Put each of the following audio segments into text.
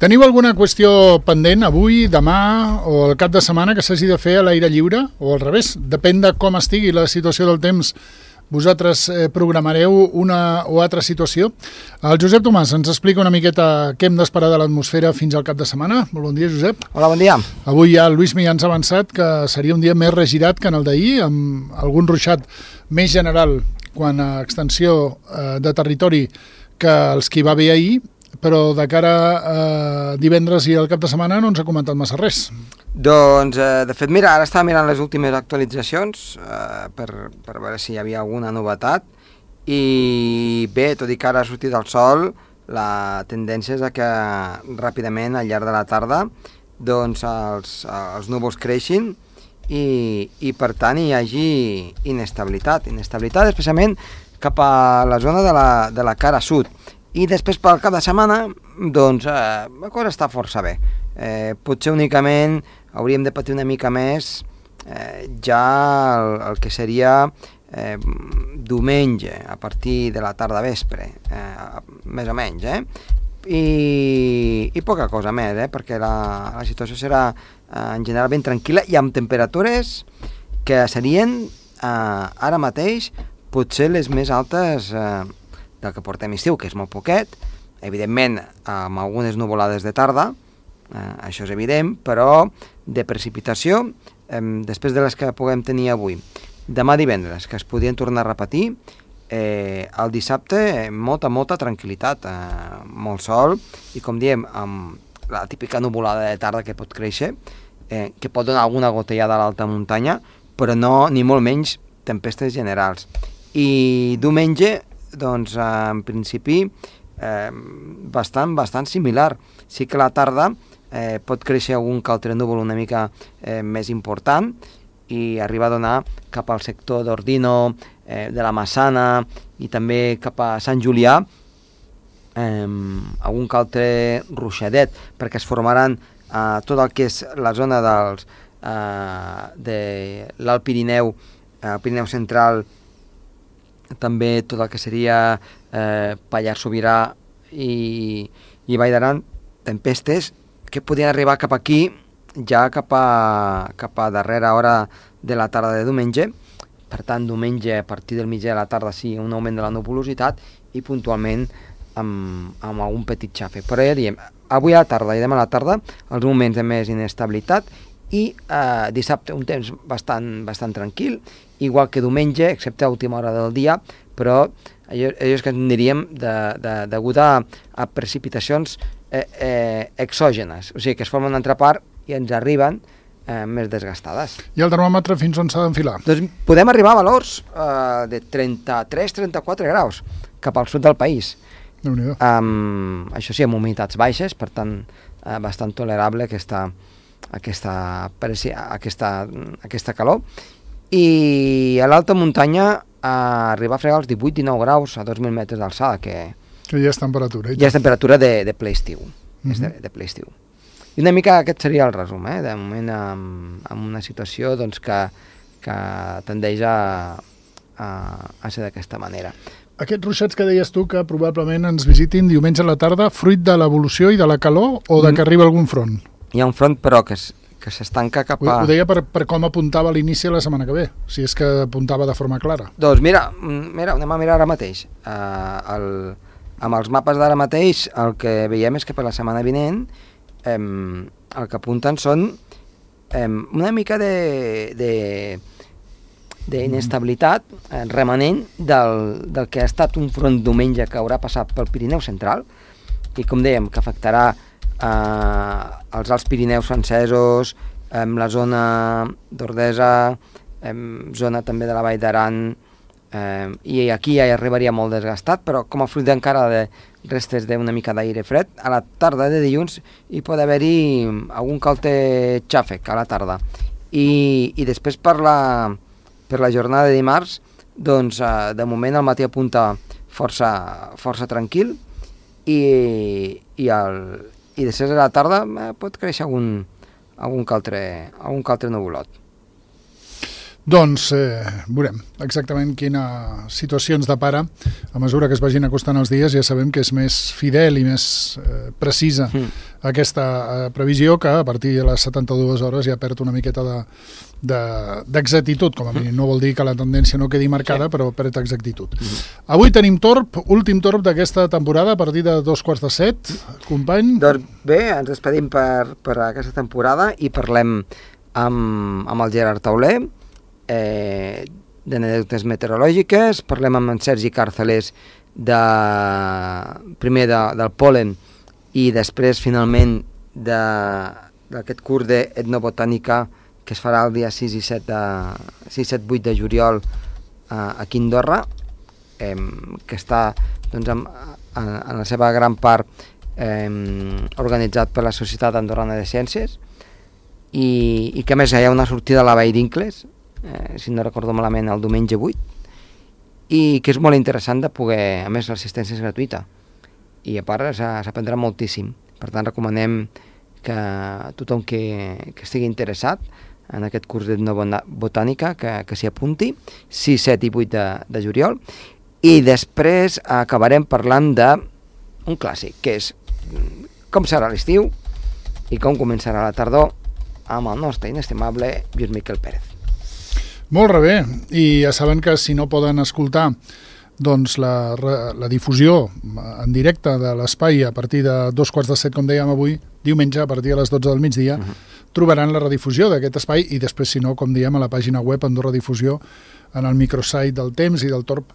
Teniu alguna qüestió pendent avui, demà o el cap de setmana que s'hagi de fer a l'aire lliure? O al revés, depèn de com estigui la situació del temps, vosaltres programareu una o altra situació. El Josep Tomàs ens explica una miqueta què hem d'esperar de l'atmosfera fins al cap de setmana. Molt bon dia, Josep. Hola, bon dia. Avui ja el Lluís ja ens ha avançat que seria un dia més regirat que en el d'ahir, amb algun ruixat més general quant a extensió de territori que els que hi va haver ahir, però de cara a divendres i al cap de setmana no ens ha comentat massa res. Doncs, de fet, mira, ara estava mirant les últimes actualitzacions per veure si hi havia alguna novetat i bé, tot i que ara ha sortit el sol, la tendència és que ràpidament al llarg de la tarda doncs els núvols creixin i per tant hi hagi inestabilitat especialment cap a la zona de la cara sud. I després pel cap de setmana doncs la cosa està força bé. Potser únicament hauríem de patir una mica més ja el que seria diumenge a partir de la tarda vespre, més o menys, i poca cosa més, perquè la situació serà en general ben tranquil·la i amb temperatures que serien ara mateix potser les més altes del que portem estiu, que és molt poquet, evidentment amb algunes nuvolades de tarda, això és evident, però de precipitació, després de les que puguem tenir avui, demà divendres, que es podien tornar a repetir, el dissabte molta tranquil·litat, molt sol, i com diem, amb la típica nuvolada de tarda que pot créixer, que pot donar alguna gotellada a l'alta muntanya, però no, ni molt menys, tempestes generals. I diumenge, doncs, en principi, bastant similar. Sí que la tarda pot créixer algun que altre núvol una mica més important i arriba a donar cap al sector d'Ordino, de la Massana i també cap a Sant Julià algun que altre ruixadet, perquè es formaran tot el que és la zona de l'Alt Pirineu, el Pirineu central, també tot el que seria Pallars Sobirà i Vall d'Aran, tempestes que podien arribar cap aquí ja cap a darrera hora de la tarda de diumenge. Per tant, diumenge a partir del migdia de la tarda sí, un augment de la nuvolositat i puntualment amb algun petit xafe. Però ja diem, avui a la tarda i demà a la tarda els moments de més inestabilitat i dissabte un temps bastant tranquil, igual que diumenge, excepte a última hora del dia, però allò és que en diríem degut a precipitacions exògenes, o sigui que es formen una altra part i ens arriben més desgastades. I el termòmetre fins on s'ha d'enfilar? Doncs podem arribar a valors de 33-34 graus cap al sud del país. Déu-n'hi-do. Això sí, amb humitats baixes, per tant bastant tolerable aquesta calor, i a l'alta muntanya arribar a fregar els 18-19 graus a 2.000 metres d'alçada, que ja és temperatura. Ja és temperatura de ple estiu. De ple estiu. I una mica aquest seria el resum, de moment amb una situació doncs, que tendeix a ser d'aquesta manera. Aquests ruixats que deies tu que probablement ens visitin diumenge a la tarda, fruit de l'evolució i de la calor o de que arriba algun front? Hi ha un front, però que s'estanca cap a... Ho deia per com apuntava a l'inici de la setmana que ve, si és que apuntava de forma clara. Doncs mira, anem a mirar ara mateix. Amb els mapes d'ara mateix, el que veiem és que per la setmana vinent el que apunten són una mica d'inestabilitat remanent del que ha estat un front diumenge que haurà passat pel Pirineu central i, com dèiem, que afectarà els Alts Pirineus francesos, la zona d'Ordesa, zona també de la Vall d'Aran, i aquí ja hi arribaria molt desgastat, però com a fruit encara de restes d'una mica d'aire fred, a la tarda de dilluns hi pot haver-hi algun calte xàfec a la tarda. I després per la jornada de dimarts, doncs de moment el matí apunta força tranquil i després de la tarda pot créixer algun que altre nuvolot. Doncs veurem exactament quina situació ens depara. A mesura que es vagin acostant els dies ja sabem que és més fidel i més precisa aquesta previsió, que a partir de les 72 hores ja perd una miqueta d'exactitud, com a mínim. No vol dir que la tendència no quedi marcada, però perd exactitud. Avui tenim torb, últim torb d'aquesta temporada, a partir de 6:45. Company? Doncs bé, ens despedim per aquesta temporada i parlem amb el Gerard Tauler, d'anècdotes meteorològiques, parlem amb en Sergi Càrceles primer del pol·len i després finalment d'aquest curs d'etnobotànica que es farà el dia 6 i 7-8 de juliol aquí a Andorra, que està doncs, en la seva gran part organitzat per la Societat Andorrana de Ciències i que a més hi ha una sortida a la Vall d'Incles, si no recordo malament, el diumenge 8, i que és molt interessant de poder, a més l'assistència és gratuïta i a part s'aprendrà moltíssim. Per tant recomanem que tothom que estigui interessat en aquest curs d'etnobotànica que s'hi apunti, 6, 7 i 8 de juliol, i després acabarem parlant d'un clàssic, que és com serà l'estiu i com començarà la tardor amb el nostre inestimable Lluís Miquel Pérez. Molt bé, i ja saben que si no poden escoltar doncs la difusió en directe de l'espai a partir de 6:45, com dèiem avui, diumenge a partir de les 12 del migdia, trobaran la redifusió d'aquest espai i després, si no, com diem, a la pàgina web Andorra Difusió, en el microsite del Temps i del Torb,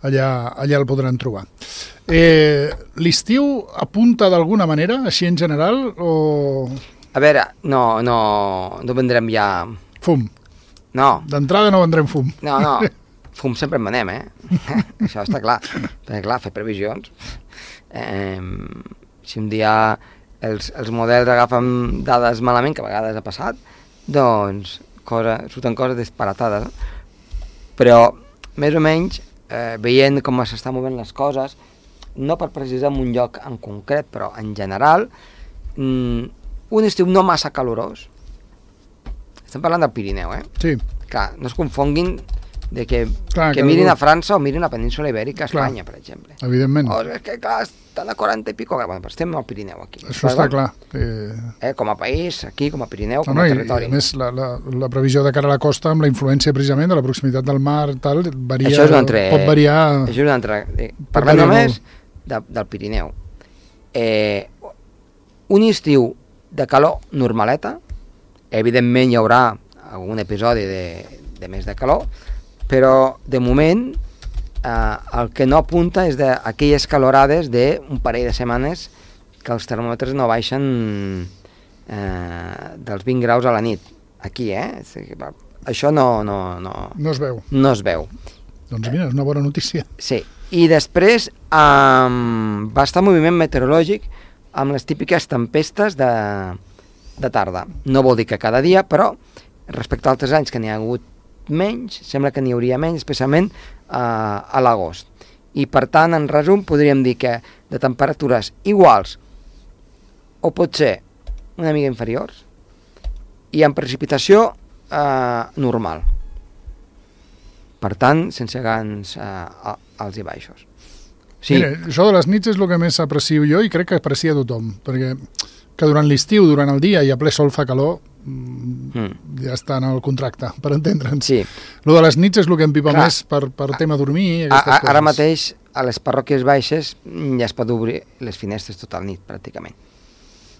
allà el podran trobar. L'estiu apunta d'alguna manera, així en general, o... A veure, no vendrem ja... Fum. No. D'entrada no vendrem fum. No. Fum sempre en venem, Això està clar. Perquè, clar, fer previsions. Si un dia els models agafen dades malament, que a vegades ha passat, doncs surten coses disparatades. Però, més o menys, veient com s'estan movent les coses, no per precisar en un lloc en concret, però en general, un estiu no massa calorós. Estem parlant del Pirineu, Sí. Clar, no es confonguin de que mirin a França o mirin a la península Ibèrica, a Espanya, per exemple. Evidentment. És que, clar, estan a 40 i pico, bueno, però estem al Pirineu, aquí. Això està clar. Com a país, aquí, com a Pirineu, com a territori. I a més, la previsió de cara a la costa, amb la influència precisament de la proximitat del mar, tal, varia, això és un altre, pot variar... Això és un altre... Parlem només del Pirineu. Un estiu de calor normaleta, evidentment hi haurà algun episodi de més de calor, però de moment el que no apunta és d'aquelles calorades d'un parell de setmanes que els termòmetres no baixen dels 20 graus a la nit. Aquí, Això no es veu. No es veu. Doncs mira, és una bona notícia. Sí. I després va estar moviment meteorològic amb les típiques tempestes de tarda. No vol dir que cada dia, però respecte a altres anys que n'hi ha hagut menys, sembla que n'hi hauria menys, especialment a l'agost. I per tant, en resum, podríem dir que de temperatures iguals o potser una mica inferiors i amb precipitació normal. Per tant, sense grans alts i baixos. Sí. Mira, això de les nits és el que més aprecio jo i crec que aprecia tothom, perquè que durant l'estiu, durant el dia i a ple sol fa calor, ja està en el contracte, per entendre'ns. Sí. Lo de les nits és el que empipa més per tema dormir i aquestes coses. Ara mateix, a les parròquies baixes, ja es pot obrir les finestres tota la nit, pràcticament.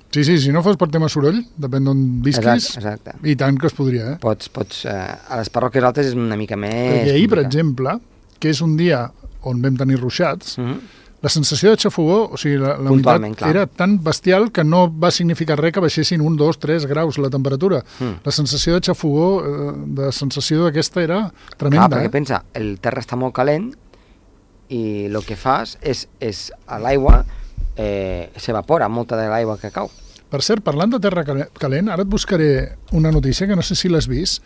Sí, si no fos per tema soroll, depèn d'on visquis, exacte. I tant que es podria, Pots, a les parròquies altes és una mica més... Perquè ahir, per exemple, que és un dia on vam tenir ruixats, la sensació de xafogó, o sigui, la humitat era tan bestial que no va significar res que baixessin 1, 2, 3 graus la temperatura. La sensació de xafogó, de sensació d'aquesta era tremenda. Clar, perquè pensa, el terra està molt calent i el que fas és a l'aigua s'evapora molta de l'aigua que cau. Per cert, parlant de terra calent, ara et buscaré una notícia que no sé si l'has vist,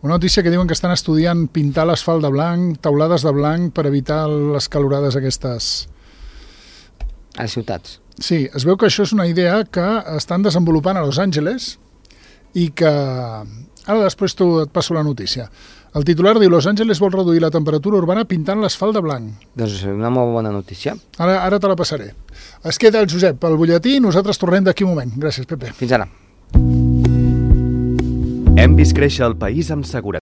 una notícia que diuen que estan estudiant pintar l'asfalt de blanc, taulades de blanc per evitar les calorades aquestes... A les ciutats. Sí, es veu que això és una idea que estan desenvolupant a Los Angeles i que... Ara després et passo la notícia. El titular diu: Los Angeles vol reduir la temperatura urbana pintant l'asfalt de blanc. Doncs una molt bona notícia. Ara te la passaré. Es queda el Josep pel butlletí i nosaltres tornem d'aquí un moment. Gràcies, Pepe. Fins ara. Hem vist créixer el país amb seguretat.